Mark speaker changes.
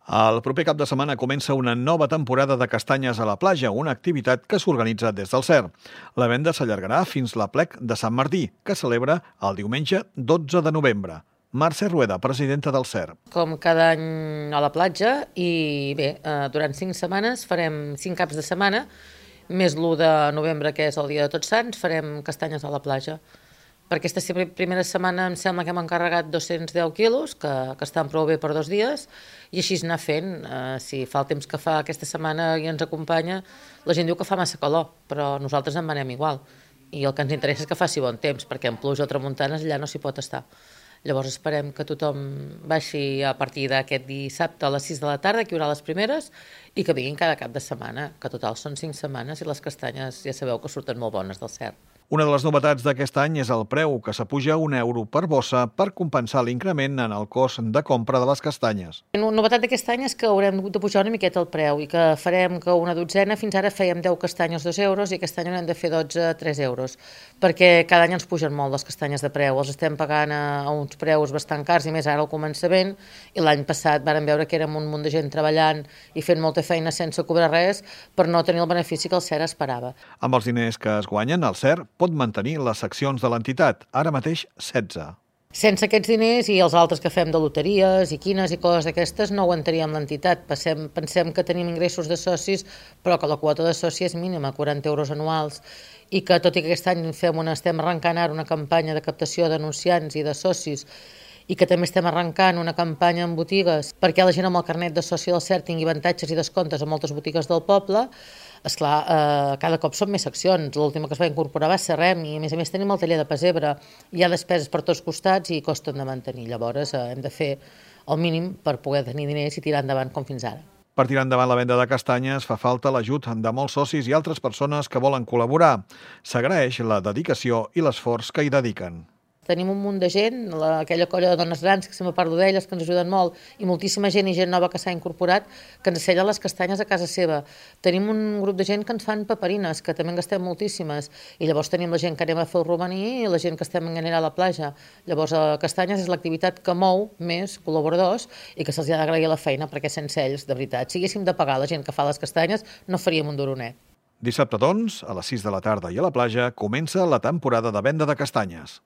Speaker 1: El proper cap de setmana comença una nova temporada de castanyes a la platja, una activitat que s'organitza des del CER. La venda s'allargarà fins l'Aplec de Sant Martí, que celebra el diumenge 12 de novembre. Mercè Rueda, presidenta del CER.
Speaker 2: Com cada any a la platja i bé, durant 5 setmanes farem 5 caps de setmana, més l'1 de novembre, que és el dia de Tots Sants, farem castanyes a la platja. Per aquesta primera setmana em sembla que hem encarregat 210 quilos, que estan prou bé per 2 dies, i així anar fent. Si fa el temps que fa aquesta setmana i ens acompanya, la gent diu que fa massa calor, però nosaltres en venem igual. I el que ens interessa és que faci bon temps, perquè en pluja o tramuntanes allà no s'hi pot estar. Llavors esperem que tothom baixi a partir d'aquest dissabte a les 6 de la tarda, que hi haurà les primeres, i que vinguin cada cap de setmana, que total són 5 setmanes i les castanyes ja sabeu que surten molt bones del CER.
Speaker 1: Una de les novetats d'aquest any és el preu, que s'apuja €1 per bossa per compensar l'increment en el cost de compra de les castanyes.
Speaker 2: La novetat d'aquest any és que haurem de pujar una miqueta el preu i que farem que una dotzena, fins ara fèiem 10 castanyes 2 euros i aquest any haurem de fer 12 3 euros, perquè cada any ens pugen molt les castanyes de preu, els estem pagant a uns preus bastant cars i més ara al començament, i l'any passat vàrem veure que érem un munt de gent treballant i fent molta feina sense cobrar res per no tenir el benefici que el CER esperava.
Speaker 1: Amb els diners que es guanyen, el CER pot mantenir les seccions de l'entitat, ara mateix 16.
Speaker 2: Sense aquests diners i els altres que fem de loteries i quines i coses d'aquestes no aguantaríem l'entitat. Pensem que tenim ingressos de socis, però que la quota de soci és mínima, 40 euros anuals, i que tot i que aquest any estem arrencant ara una campanya de captació d'anunciants i de socis, i que també estem arrencant una campanya en botigues perquè la gent amb el carnet de soci del CER tingui avantatges i descomptes a moltes botigues del poble. Esclar, cada cop són més seccions. L'última que es va incorporar va ser REM i a més tenim el taller de pessebre. Hi ha despeses per tots costats i costen de mantenir. Llavors hem de fer el mínim per poder tenir diners i tirar endavant com fins ara.
Speaker 1: Per tirar endavant la venda de castanyes fa falta l'ajut de molts socis i altres persones que volen col·laborar. S'agraeix la dedicació i l'esforç que hi dediquen.
Speaker 2: Tenim un munt de gent, aquella colla de dones grans, que sempre parlo d'elles, que ens ajuden molt, i moltíssima gent i gent nova que s'ha incorporat, que ens sella les castanyes a casa seva. Tenim un grup de gent que ens fan paperines, que també en gastem moltíssimes, i llavors tenim la gent que anem a fer el romaní i la gent que estem en anar a la platja. Llavors, castanyes és l'activitat que mou més col·laboradors i que se'ls ha d'agrair la feina, perquè sense ells, de veritat, si haguéssim de pagar la gent que fa les castanyes, no faríem un duronet.
Speaker 1: Dissabte, doncs, a les 6 de la tarda i a la platja, comença la temporada de venda de castanyes.